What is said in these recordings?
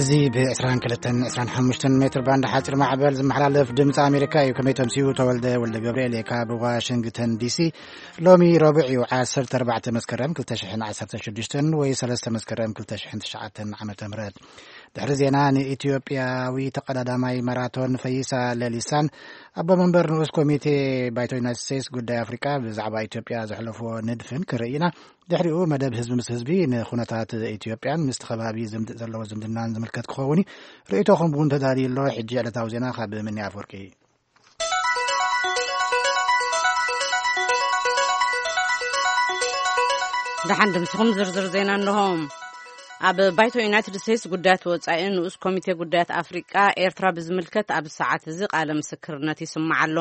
እዚ ብ22 25 ሜትር ባንድ ሓፂር ማዕበል ዝመሓላለፍ ድምፂ ኣሜሪካ እዩ። ከመይ ተምስዩ? ተወልደ ወልደ ገብርኤል እየ ካብ ዋሽንግተን ዲሲ። ሎሚ ረቡዕ እዩ፣ 14 መስከረም 2016 ወይ 3 መስከረም 2009 ዓመተ ምህረት። ድሕሪ ዜና፣ ንኢትዮጵያዊ ተቐዳዳማይ ማራቶን ፈይሳ ለሊሳን ኣቦ መንበር ንኡስ ኮሚቴ ባይቶ ዩናይትድ ስቴትስ ጉዳይ ኣፍሪቃ ብዛዕባ ኢትዮጵያ ዘሕለፍዎ ንድፍን ክርኢ ኢና። ድሕሪኡ መደብ ህዝቢ ምስ ህዝቢ ንኩነታት ኢትዮጵያን ምስቲ ከባቢ ዝምድ-፣ ዘለዎ ዝምድናን ዝምልከት ክኸውን እዩ። ርእይቶኹም እውን ተዳልዩ ኣሎ። ሕጂ ዕለታዊ ዜና ካብ ምኒ ኣፍወርቂ። ደሓን ድምስኹም ዝርዝር ዜና እንሆ። ኣብ ባይቶ ዩናይትድ ስቴትስ ጉዳያት ወጻኢ ንኡስ ኮሚቴ ጉዳያት ኣፍሪቃ ኤርትራ ብዝምልከት ኣብ ሰዓት እዚ ቃለ ምስክርነት ይስማዕ ኣሎ።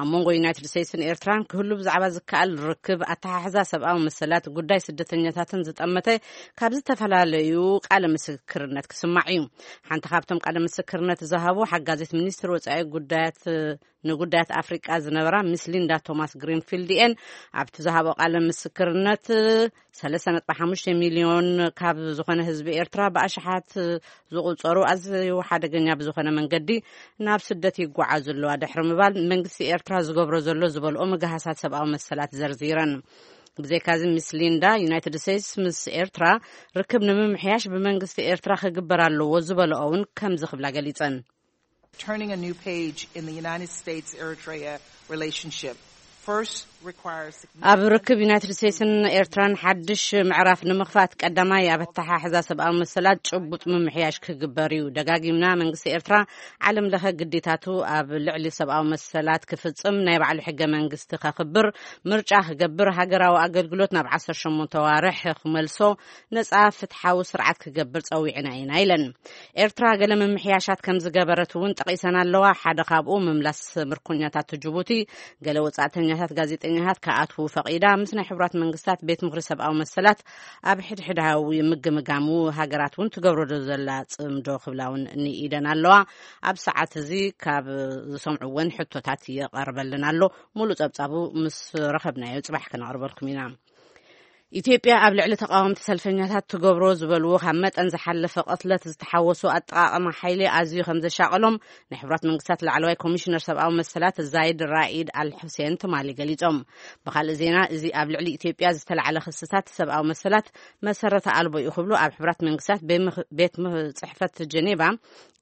ኣብ መንጎ ዩናይትድ ስቴትስን ኤርትራን ክህሉ ብዛዕባ ዝከኣል ርክብ፣ ኣተሓሕዛ ሰብኣዊ መሰላት፣ ጉዳይ ስደተኛታትን ዝጠመተ ካብ ዝተፈላለዩ ቃለ ምስክርነት ክስማዕ እዩ። ሓንቲ ካብቶም ቃለ ምስክርነት ዝሃቡ ሓጋዜት ሚኒስትር ወጻኢ ጉዳያት ንጉዳያት ኣፍሪቃ ዝነበራ ሚስ ሊንዳ ቶማስ ግሪንፊልድ እየን። ኣብቲ ዝሃቦ ቃለ ምስክርነት 3.5 ሚሊዮን ካብ ዝኾነ ህዝቢ ኤርትራ ብኣሽሓት ዝቑጸሩ ኣዝዩ ሓደገኛ ብዝኾነ መንገዲ ናብ ስደት ይጓዓዙ ኣለዋ ድሕሪ ምባል፣ መንግስቲ ኤርትራ ዝገብሮ ዘሎ ዝበልኦ ምግሃሳት ሰብኣዊ መሰላት ዘርዚረን። ብዘይካዚ፣ ሚስ ሊንዳ፣ ዩናይትድ ስቴትስ ምስ ኤርትራ ርክብ ንምምሕያሽ ብመንግስቲ ኤርትራ ክግበር ኣለዎ ዝበልኦ እውን ከምዚ ክብላ ገሊጸን። Turning a new page in the United States-Eritrea relationship first requires ኣብ ርክብ ዩናይትድ ስቴትስን ኤርትራን ሓድሽ ምዕራፍ ንምኽፋት፣ ቀዳማይ ኣብ ኣተሓሕዛ ሰብኣዊ መሰላት ጭቡጥ ምምሕያሽ ክግበር እዩ። ደጋጊምና፣ መንግስቲ ኤርትራ ዓለም ለኸ ግዴታቱ ኣብ ልዕሊ ሰብኣዊ መሰላት ክፍጽም፣ ናይ ባዕሉ ሕገ መንግስቲ ከኽብር፣ ምርጫ ክገብር፣ ሃገራዊ ኣገልግሎት ናብ 18 ዋርሕ ክመልሶ፣ ነጻ ፍትሓዊ ስርዓት ክገብር ጸዊዕና ኢና ኢለን። ኤርትራ ገለ ምምሕያሻት ከም ዝገበረት እውን ጠቒሰን ኣለዋ። ሓደ ካብኡ ምምላስ ምርኮኛታት ጅቡቲ፣ ገለ ወጻእተኛታት ጋዜጠኛታት ክኣትዉ ፈቒዳ፣ ምስ ናይ ሕቡራት መንግስታት ቤት ምኽሪ ሰብኣዊ መሰላት ኣብ ሕድሕዳዊ ምግምጋሙ ሃገራት እውን ትገብሮ ዶ ዘላ ጽምዶ ክብላ እውን ንኢደን ኣለዋ። ኣብ ሰዓት እዚ ካብ ዝሰምዕወን ሕቶታት ይቐርበልን ኣሎ። ሙሉእ ጸብጻቡ ምስ ረኸብናዮ ጽባሕ ከነቕርበልኩም ኢና። ኢትዮጵያ ኣብ ልዕሊ ተቃወምቲ ሰልፈኛታት ትገብሮ ዝበልዎ ካብ መጠን ዝሓለፈ ቅትለት ዝተሓወሶ ኣጠቃቀማ ሓይሊ ኣዝዩ ከም ዘሻቀሎም ናይ ሕቡራት መንግስታት ላዕለዋይ ኮሚሽነር ሰብኣዊ መሰላት ዛይድ ራኢድ ኣል ሑሴን ትማሊ ገሊጾም። ብካልእ ዜና፣ እዚ ኣብ ልዕሊ ኢትዮጵያ ዝተላዕለ ክስታት ሰብኣዊ መሰላት መሰረተ ኣልቦ እዩ ክብሉ ኣብ ሕቡራት መንግስታት ቤት ምኽ-፣ ቤት ምኽ-፣ ጽሕፈት ጀኔቫ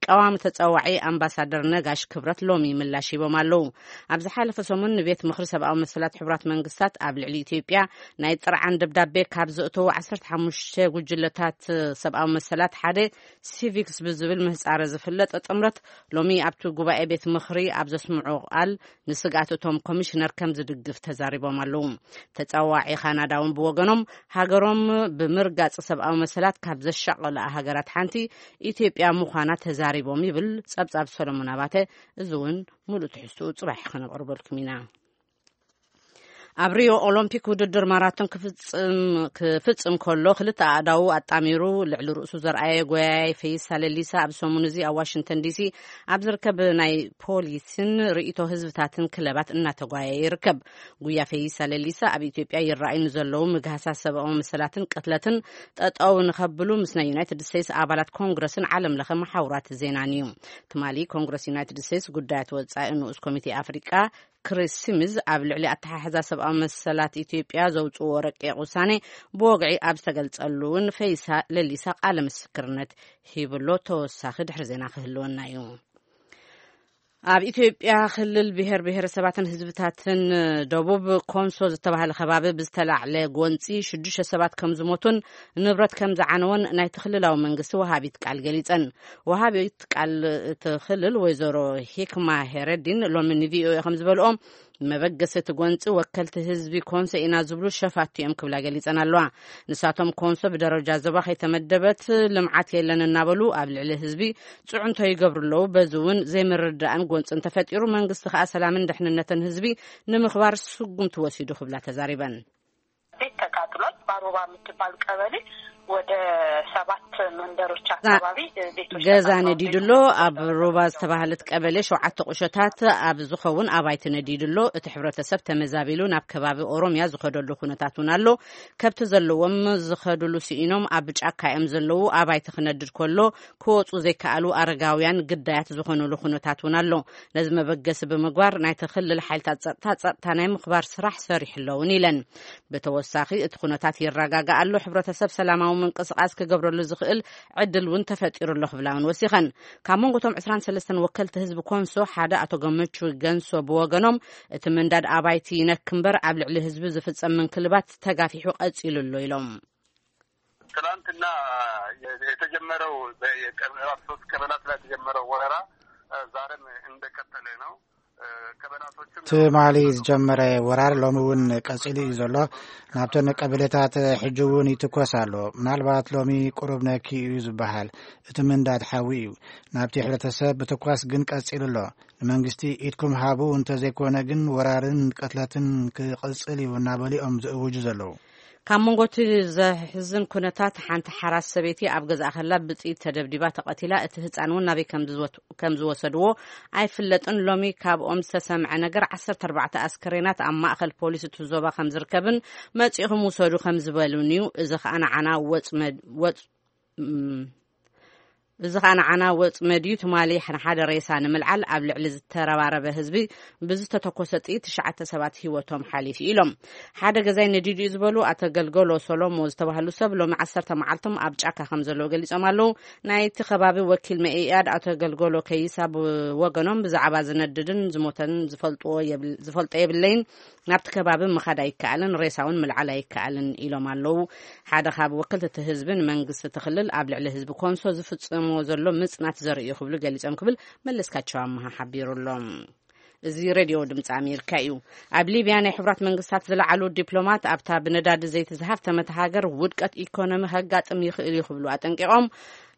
ቀዋሚ ተጸዋዒ ኣምባሳደር ነጋሽ ክብረት ሎሚ ምላሽ ሂቦም ኣለዉ። ኣብ ዝሓለፈ ሰሙን ንቤት ምኽሪ ሰብኣዊ መሰላት ሕቡራት መንግስታት ኣብ ልዕሊ ኢትዮጵያ ናይ ጥርዓን ደብዳቤ ካብ ዘእተዉ 15 ጉጅለታት ሰብኣዊ መሰላት ሓደ ሲቪክስ ብዝብል ምህጻረ ዝፍለጥ ጥምረት ሎሚ ኣብቲ ጉባኤ ቤት ምኽሪ ኣብ ዘስምዑ ቃል ንስግኣት እቶም ኮሚሽነር ከም ዝድግፍ ተዛሪቦም ኣለዉ። ተጸዋዒ ካናዳ እውን ብወገኖም ሃገሮም ብምርጋጽ ሰብኣዊ መሰላት ካብ ዘሻቐላ ሃገራት ሓንቲ ኢትዮጵያ ምዃና ተዛሪቦም ይብል ጸብጻብ ሰሎሞን ኣባተ። እዚ እውን ሙሉእ ትሕዝትኡ ጽባሕ ከነቕርበልኩም ኢና። ኣብ ሪዮ ኦሎምፒክ ውድድር ማራቶን ክፍጽም፣ ክፍጽም ከሎ ክልተ ኣእዳዉ ኣጣሚሩ ልዕሊ ርእሱ ዘርኣየ ጎያያይ ፈይሳ ለሊሳ ኣብ ሰሙን እዚ ኣብ ዋሽንግተን ዲሲ ኣብ ዝርከብ ናይ ፖሊስን ርእይቶ ህዝብታትን ክለባት እናተጓየ ይርከብ። ጉያ ፈይሳ ለሊሳ ኣብ ኢትዮጵያ ይረኣዩ ንዘለዉ ምግሃሳት ሰብኣዊ መሰላትን ቅትለትን ጠጠው ንኸብሉ ምስ ናይ ዩናይትድ ስቴትስ ኣባላት ኮንግረስን ዓለም ለኸ መሓውራት ዜናን እዩ። ትማሊ ኮንግረስ ዩናይትድ ስቴትስ ጉዳያት ወጻኢ ንኡስ ኮሚቴ ኣፍሪቃ ክሪስ ሲሚዝ ኣብ ልዕሊ ኣተሓሕዛ ሰብኣዊ መሰላት ኢትዮጵያ ዘውጽዎ ረቂቕ ውሳኔ ብወግዒ ኣብ ዝተገልጸሉ እውን ፈይሳ ለሊሳ ቃለ ምስክርነት ሂብሎ። ተወሳኺ ድሕሪ ዜና ክህልወና እዩ። ኣብ ኢትዮጵያ ክልል ብሔር ብሔረሰባትን ህዝብታትን ደቡብ ኮንሶ ዝተባህለ ከባቢ ብዝተላዕለ ጎንፂ ሽዱሽተ ሰባት ከም ዝሞቱን ንብረት ከም ዝዓነወን ናይቲ ክልላዊ መንግስቲ ወሃቢት ቃል ገሊጸን። ወሃቢት ቃል እቲ ክልል ወይዘሮ ሂክማ ሄረዲን ሎሚ ንቪኦኤ ከም ዝበልኦ፣ መበገሲ እቲ ጎንፂ ወከልቲ ህዝቢ ኮንሶ ኢና ዝብሉ ሸፋቱ እዮም ክብላ ገሊጸን ኣለዋ። ንሳቶም ኮንሶ ብደረጃ ዞባ ከይተመደበት ልምዓት የለን እናበሉ ኣብ ልዕሊ ህዝቢ ጽዕንቶ ይገብሩ ኣለዉ። በዚ እውን ዘይምርድዳእን ጎንፅን ተፈጢሩ፣ መንግስቲ ከኣ ሰላምን ድሕንነትን ህዝቢ ንምኽባር ስጉምቲ ወሲዱ ክብላ ተዛሪበን። ቤት ተቃጥሏል። ባሮባ የምትባል ቀበሌ ወደ ሰባት መንደሮች አካባቢ ቤቶች ገዛ ተቃጥለዋል። ነዲዱ ኣሎ። ኣብ ሩባ ዝተባህለት ቀበሌ ሸውዓተ ቁሸታት ኣብ ዝኸውን ኣባይቲ ነዲዱ ኣሎ። እቲ ሕብረተሰብ ተመዛቢሉ ናብ ከባቢ ኦሮምያ ዝኸደሉ ኩነታት እውን ኣሎ። ከብቲ ዘለዎም ዝኸድሉ ስኢኖም ኣብ ጫካ እዮም ዘለዉ። ኣባይቲ ክነድድ ከሎ ክወፁ ዘይከኣሉ ኣረጋውያን ግዳያት ዝኾኑሉ ኩነታት እውን ኣሎ። ነዚ መበገሲ ብምግባር ናይቲ ክልል ሓይልታት ጸጥታ፣ ጸጥታ ናይ ምኽባር ስራሕ ሰሪሑ ኣለውን ኢለን። ብተወሳኺ እቲ ኩነታት ይረጋጋእ ኣሎ፣ ሕብረተሰብ ሰላማዊ ምንቅስቃስ ክገብረሉ ዝኽእል ዕድል እውን ተፈጢሩ ኣሎ ክብላ እውን ወሲኸን። ካብ መንጎ እቶም ዕስራን ሰለስተን ወከልቲ ህዝቢ ኮንሶ ሓደ ኣቶ ገመቹ ገንሶ ብወገኖም እቲ ምንዳድ ኣባይቲ ይነክ እምበር ኣብ ልዕሊ ህዝቢ ዝፍጸም ምንክልባት ተጋፊሑ ቀጺሉ ኣሎ ኢሎም። ትናንትና የተጀመረው በ- የቀ- ሶስት ቀበላት ላይ የተጀመረው ወረራ እ፣ ዛሬም እንደቀጠለ ነው። እ፣ ቀበላቶችም ትማሊ ዝጀመረ ወራር ሎሚ እውን ቀጺሉ እዩ ዘሎ። ናብተን ቀበሌታት ሕጂ እውን ይትኮስ ኣሎ። ምናልባት ሎሚ ቁሩብ ነኪ እዩ ዝበሃል። እቲ ምንዳድ ሓዊ እዩ። ናብቲ ሕብረተሰብ ብትኳስ ግን ቀጺሉ ኣሎ። ንመንግስቲ ኢድኩም ሃቡ እንተዘይኮነ ግን ወራርን ቅትለትን ክቕጽል እዩ እናበሉ እዮም ዝእውጁ ዘለዉ። ካብ መንጎ እቲ ዘሕዝን ኩነታት ሓንቲ ሓራስ ሰበይቲ ኣብ ገዛእ ከላ ብጥይት ተደብዲባ ተቐቲላ፣ እቲ ህጻን እውን ናበይ ከም ዝወት- ከም ዝወሰድዎ ኣይፍለጥን። ሎሚ ካብኦም ዝተሰምዐ ነገር ዓሰርተ ኣርባዕተ ኣስከሬናት ኣብ ማእከል ፖሊስ እቲ ዞባ ከም ዝርከብን መጺእኹም ውሰዱ ከም ዝበሉን እዩ። እዚ ከኣ ንዓና ወጽመድ- ወጽ- እም፣ እዚ ከኣ ንዓና ወጽመድ እዩ። ትማሊ ንሓደ ሬሳ ንምልዓል ኣብ ልዕሊ ዝተረባረበ ህዝቢ ብዝተተኮሰ ጥይት ትሽዓተ ሰባት ህይወቶም ሓሊፉ ኢሎም። ሓደ ገዛይ ነዲዱ እዩ ዝበሉ ኣቶ ገልገሎ ሶሎሞ ዝተባህሉ ሰብ ሎሚ ዓሰርተ መዓልቶም ኣብ ጫካ ከም ዘለዉ ገሊጾም ኣለዉ። ናይቲ ከባቢ ወኪል መኢኣድ ኣቶ ገልገሎ ከይሳ ብወገኖም ብዛዕባ ዝነድድን ዝሞተን ዝፈልጥዎ የብል- ዝፈልጦ የብለይን። ናብቲ ከባቢ ምኻድ ኣይከኣልን፣ ሬሳ እውን ምልዓል ኣይከኣልን ኢሎም ኣለዉ። ሓደ ካብ ወከልቲ እቲ ህዝቢ ንመንግስቲ እቲ ክልል ኣብ ልዕሊ ህዝቢ ኮንሶ ዝፍጽሞ ዘሎ ምጽናት ዘርኢ እዩ ክብሉ ገሊጾም ክብል መለስካቸው ኣመሃ ሓቢሩ ኣሎ። እዚ ሬድዮ ድምፂ ኣሜሪካ እዩ። ኣብ ሊብያ ናይ ሕቡራት መንግስታት ዝለዓሉ ዲፕሎማት ኣብታ ብነዳዲ ዘይቲ ዝሃፍተመት ሃገር ውድቀት ኢኮኖሚ ከጋጥም ይኽእል እዩ ክብሉ ኣጠንቂቖም።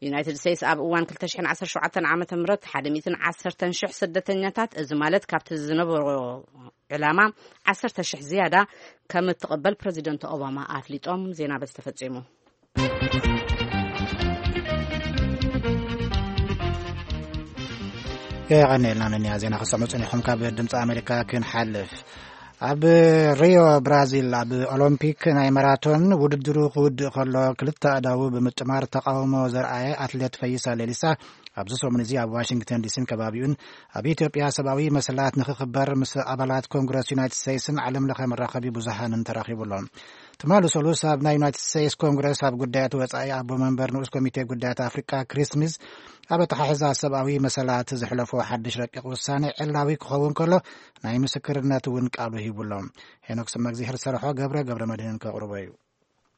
ዩናይትድ ስቴትስ ኣብ እዋን ክልተ ሽሕን ዓሰርተ ሸውዓተን ዓመተ ምህረት ሓደ ሚእትን ዓሰርተን ሽሕ ስደተኛታት፣ እዚ ማለት ካብቲ ዝነበሮ ዕላማ ዓሰርተ ሽሕ ዝያዳ ከም እትቕበል ፕረዚደንት ኦባማ ኣፍሊጦም። ዜና በዚ ተፈጺሙ። የቐኔልና ነኒያ ዜና ክሰሙ ጽኒኹም። ካብ ድምፂ ኣሜሪካ ክንሓልፍ፣ ኣብ ሪዮ ብራዚል ኣብ ኦሎምፒክ ናይ ማራቶን ውድድሩ ክውድእ ከሎ ክልተ ኣእዳዉ ብምጥማር ተቃውሞ ዘርኣየ ኣትሌት ፈይሳ ሌሊሳ ኣብዚ ሰሙን እዚ ኣብ ዋሽንግተን ዲሲን ከባቢኡን ኣብ ኢትዮጵያ ሰብኣዊ መሰላት ንክኽበር ምስ ኣባላት ኮንግረስ ዩናይትድ ስቴትስን ዓለም ለኸ መራኸቢ ብዙሃንን ተራኺቡ ኣሎ። ትማሊ ሰሉስ ኣብ ናይ ዩናይትድ ስቴትስ ኮንግረስ ኣብ ጉዳያት ወጻኢ ኣቦ መንበር ንኡስ ኮሚቴ ጉዳያት ኣፍሪቃ ክሪስ ስሚዝ ኣብ ኣተሓሕዛ ሰብኣዊ መሰላት ዘሕለፎ ሓድሽ ረቂቕ ውሳኔ ዕላዊ ክኸውን ከሎ ናይ ምስክርነት እውን ቃሉ ሂቡ ኣሎ። ሄኖክ ስመግዚሄር ዝሰርሖ ገብረ ገብረ መድህን ከቕርቦ እዩ።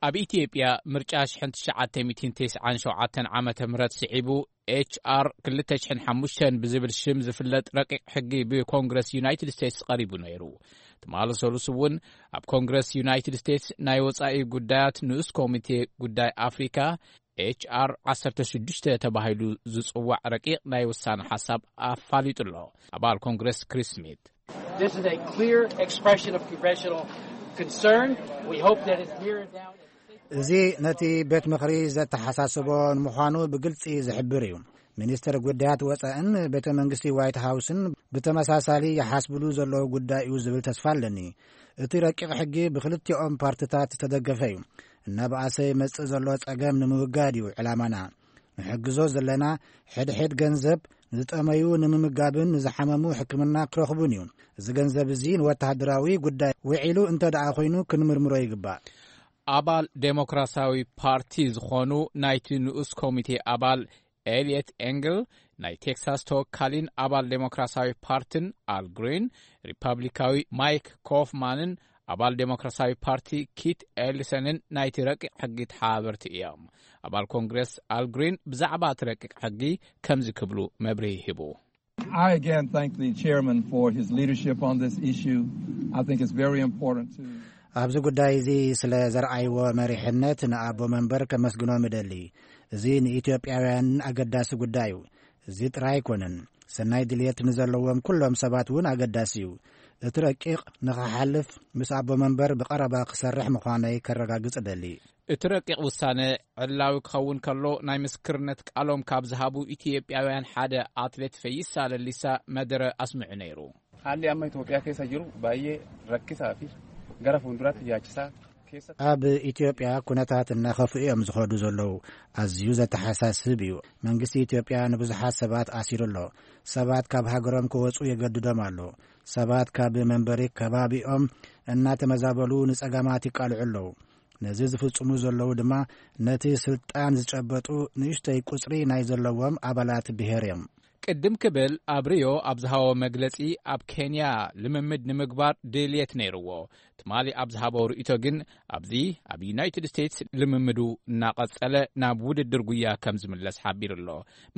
ኣብ ኢትዮጵያ ምርጫ ሽሕን ትሽዓተ ሚእትን ተስዓን ሸውዓተን ዓመተ ምህረት ስዒቡ ኤች ኣር ክልተ ሽሕን ሓሙሽተን ብዝብል ሽም ዝፍለጥ ረቂቕ ሕጊ ብኮንግረስ ዩናይትድ ስቴትስ ቀሪቡ ነይሩ። ትማሊ ሰሉስ እውን ኣብ ኮንግረስ ዩናይትድ ስቴትስ ናይ ወጻኢ ጉዳያት ንኡስ ኮሚቴ ጉዳይ ኣፍሪካ ኤች ኣር ዓሰርተ ሽዱሽተ ተባሂሉ ዝጽዋዕ ረቂቕ ናይ ውሳነ ሓሳብ ኣፋሊጡ ኣሎ ኣባል ኮንግረስ ክሪስ ስሚት። This is a clear expression of congressional concern. We hope that it's mirrored down. እዚ ነቲ ቤት ምኽሪ ዘተሓሳስቦ ንምዃኑ ብግልጺ ዝሕብር እዩ። ሚኒስትር ጉዳያት ወጻእን ቤተ መንግስቲ ዋይት ሃውስን ብተመሳሳሊ ይሓስብሉ ዘለዉ ጉዳይ እዩ ዝብል ተስፋ ኣለኒ። እቲ ረቂቕ ሕጊ ብክልቲኦም ፓርትታት ዝተደገፈ እዩ። እናበኣሰ ይመጽእ ዘሎ ጸገም ንምውጋድ እዩ ዕላማና። ንሕግዞ ዘለና ሕድሕድ ገንዘብ ንዝጠመዩ ንምምጋብን ንዝሓመሙ ሕክምና ክረኽቡን እዩ። እዚ ገንዘብ እዚ ንወተሃደራዊ ጉዳይ ውዒሉ እንተ ደኣ ኮይኑ ክንምርምሮ ይግባእ። ኣባል ዴሞክራሲያዊ ፓርቲ ዝኾኑ ናይቲ ንኡስ ኮሚቴ ኣባል ኤልየት ኤንግል፣ ናይ ቴክሳስ ተወካሊን ኣባል ዴሞክራሲያዊ ፓርቲን ኣል ግሪን፣ ሪፐብሊካዊ ማይክ ኮፍማንን ኣባል ዴሞክራሲያዊ ፓርቲ ኪት ኤልሰንን ናይቲ ረቂቕ ሕጊ ተሓባበርቲ እዮም። ኣባል ኮንግረስ ኣል ግሪን ብዛዕባ እቲ ረቂቕ ሕጊ ከምዚ ክብሉ መብርሂ ሂቡ። I again thank the chairman for his leadership on this issue. I think it's very important to ኣብዚ ጉዳይ እዚ ስለ ዘርኣይዎ መሪሕነት ንኣቦ መንበር ከመስግኖም እደሊ። እዚ ንኢትዮጵያውያን ኣገዳሲ ጉዳይ እዩ። እዚ ጥራይ ኣይኮነን፣ ሰናይ ድልየት ንዘለዎም ኩሎም ሰባት እውን ኣገዳሲ እዩ። እቲ ረቂቕ ንኽሓልፍ ምስ ኣቦ መንበር ብቐረባ ክሰርሕ ምዃነይ ከረጋግጽ እደሊ። እቲ ረቂቕ ውሳነ ዕላዊ ክኸውን ከሎ፣ ናይ ምስክርነት ቃሎም ካብ ዝሃቡ ኢትዮጵያውያን ሓደ ኣትሌት ፈይሳ ለሊሳ መደረ ኣስምዑ ነይሩ። Haalli amma Itoophiyaa keessa jiru baay'ee rakkisaa fi gara fuulduraatti yaachisaa keessa ኣብ ኢትዮጵያ ኩነታት እናኸፍኡ እዮም ዝኸዱ ዘለዉ። ኣዝዩ ዘተሓሳስብ እዩ። መንግስቲ ኢትዮጵያ ንብዙሓት ሰባት ኣሲሩ ኣሎ። ሰባት ካብ ሃገሮም ክወጹ የገድዶም ኣሎ። ሰባት ካብ መንበሪ ከባቢኦም እናተመዛበሉ ንጸገማት ይቃልዑ ኣለዉ። ነዚ ዝፍጽሙ ዘለዉ ድማ ነቲ ስልጣን ዝጨበጡ ንእሽተይ ቁጽሪ ናይ ዘለዎም ኣባላት ብሄር እዮም። ቅድም ክብል ኣብ ሪዮ ኣብ ዝሃቦ መግለጺ፣ ኣብ ኬንያ ልምምድ ንምግባር ድልየት ነይርዎ። ትማሊ ኣብ ዝሃቦ ርእይቶ ግን፣ ኣብዚ ኣብ ዩናይትድ ስቴትስ ልምምዱ እናቐጸለ ናብ ውድድር ጉያ ከም ዝምለስ ሓቢሩ ኣሎ።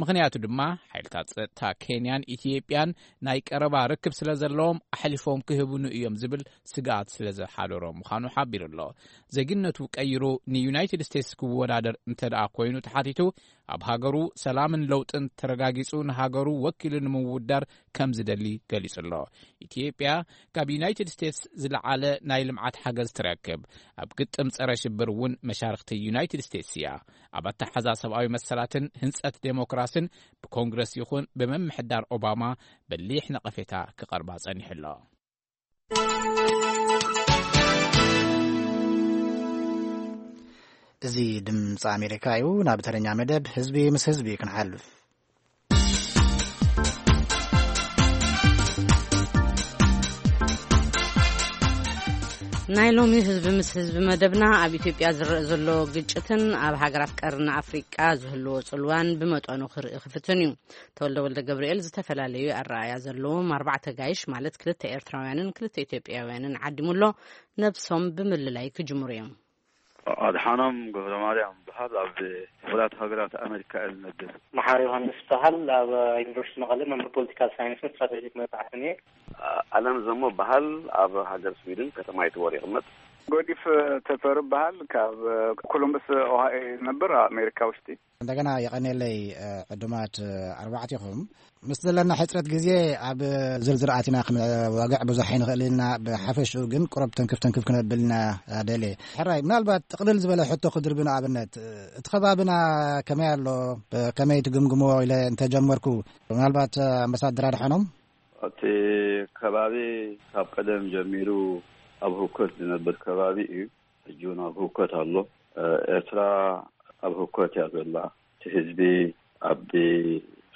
ምኽንያቱ ድማ ሓይልታት ጸጥታ ኬንያን ኢትዮጵያን ናይ ቀረባ ርክብ ስለ ዘለዎም ኣሕሊፎም ክህቡኑ እዮም ዝብል ስግኣት ስለ ዘሓደሮ ምዃኑ ሓቢሩ ኣሎ። ዜግነቱ ቀይሩ ንዩናይትድ ስቴትስ ክወዳደር እንተ ደኣ ኮይኑ ተሓቲቱ፣ ኣብ ሃገሩ ሰላምን ለውጥን ተረጋጊጹ ንሃገሩ ወኪሉ ንምውዳር ከም ዝደሊ ገሊጹ ኣሎ። ኢትዮጵያ ካብ ዩናይትድ ስቴትስ ዝለዓለ ናይ ልምዓት ሓገዝ ትረክብ። ኣብ ግጥም ጸረ ሽብር እውን መሻርኽቲ ዩናይትድ ስቴትስ እያ። ኣብ ኣተሓዛ ሰብኣዊ መሰላትን ህንጸት ዴሞክራስን ብኮንግረስ ይኹን ብምምሕዳር ኦባማ በሊሕ ነቐፌታ ክቐርባ ጸኒሑ ኣሎ። እዚ ድምፂ ኣሜሪካ እዩ። ናብ ተረኛ መደብ ህዝቢ ምስ ህዝቢ ክንሓልፍ። ናይ ሎሚ ህዝቢ ምስ ህዝቢ መደብና ኣብ ኢትዮጵያ ዝረአ ዘሎ ግጭትን ኣብ ሃገራት ቀርኒ ኣፍሪቃ ዝህልዎ ጽልዋን ብመጠኑ ክርኢ ክፍትን እዩ። ተወልደ ወልደ ገብርኤል ዝተፈላለዩ ኣረኣእያ ዘለዎም ኣርባዕተ ጋይሽ ማለት ክልተ ኤርትራውያንን ክልተ ኢትዮጵያውያንን ዓዲሙ ኣሎ። ነብሶም ብምልላይ ክጅምሩ እዮም። ኣድሓኖም ገብረማርያም በሃል፣ ኣብ ሕቡራት ሃገራት ኣሜሪካ እየ ዝነብር። መሓሪ ዮሃንስ በሃል፣ ኣብ ዩኒቨርሲቲ መቐለ መምህር ፖለቲካል ሳይንስን ስትራቴጂክ መጽሓፍትን እየ። ኣለም ዘሞ በሃል፣ ኣብ ሃገር ስዊድን ከተማ ይትቦር ይቕመጥ። ጎዲፍ ተፈሪ በሃል፣ ካብ ኮሎምበስ ኦሃዮ እየ ዝነብር፣ ኣብ ኣሜሪካ ውሽጢ። እንደገና የቐኔለይ ዕዱማት ኣርባዕቲኹም። ምስ ዘለና ሕጽረት ግዜ ኣብ ዝርዝር ኣቲና ክንዋግዕ ብዙሕ ኣይንኽእል ኢና። ብሓፈሽኡ ግን ቁረብ ተንክፍ ተንክፍ ክነብል ኢና ደልየ። ሕራይ፣ ምናልባት ጥቕልል ዝበለ ሕቶ ክድርቢ፣ ንኣብነት እቲ ከባብና ከመይ ኣሎ፣ ከመይ ትግምግምዎ ኢለ እንተጀመርኩ፣ ምናልባት ኣምባሳደር ኣድሓኖም? እቲ ከባቢ ካብ ቀደም ጀሚሩ ኣብ ህውከት ዝነብር ከባቢ እዩ። ሕጂ እውን ኣብ ህውከት ኣሎ። ኤርትራ ኣብ ህውከት እያ ዘላ። እቲ ህዝቢ ኣብ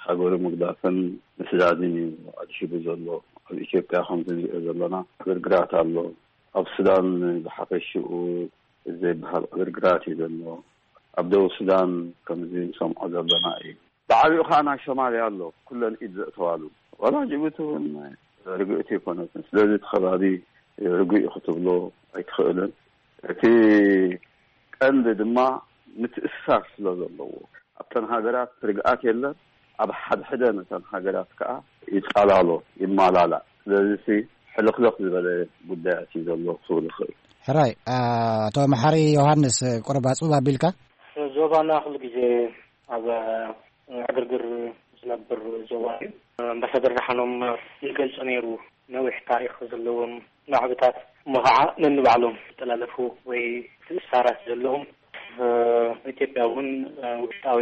ሃገሩ ምግዳፍን ምስዳድን እዩ ኣድሂቡ ዘሎ። ኣብ ኢትዮጵያ ከምዚ ንሪኦ ዘለና ዕግርግራት ኣሎ። ኣብ ሱዳን ብሓፈሽኡ ዘይበሃል ዕግርግራት እዩ ዘሎ። ኣብ ደቡብ ሱዳን ከምዚ ንሰምዖ ዘለና እዩ። ብዓቢኡ ከዓ ናይ ሶማልያ ኣሎ፣ ኩለን ኢድ ዘእተዋሉ። ዋላ ጅቡቲ እውን ርግእቲ ይኮነትን። ስለዚ እቲ ከባቢ ርጉእ እዩ ክትብሎ ኣይትኽእልን። እቲ ቀንዲ ድማ ምትእስሳር ስለ ዘለዎ፣ ኣብተን ሃገራት ርግኣት የለን። ኣብ ሓድሕደን እተን ሃገራት ከዓ ይጻላሎ፣ ይማላላእ። ስለዚ ሕልኽልኽ ዝበለ ጉዳያት እዩ ዘሎ ክብል ይኽእል። ሕራይ፣ ኣቶ መሓሪ ዮሃንስ፣ ቁሩብ ኣጽብብ ኣቢልካ። ዞባና ኩሉ ግዜ ኣብ ዕግርግር ዝነብር ዞባ እዩ። ኣምባሳደር ደሓኖም ይገልጾ ነይሩ፣ ነዊሕ ታሪኽ ዘለዎም ናዕብታት እሞ ኸዓ ነንባዕሎም ዝጠላለፉ ወይ ትእሳራት ዘለዎም። ኢትዮጵያ እውን ውሽጣዊ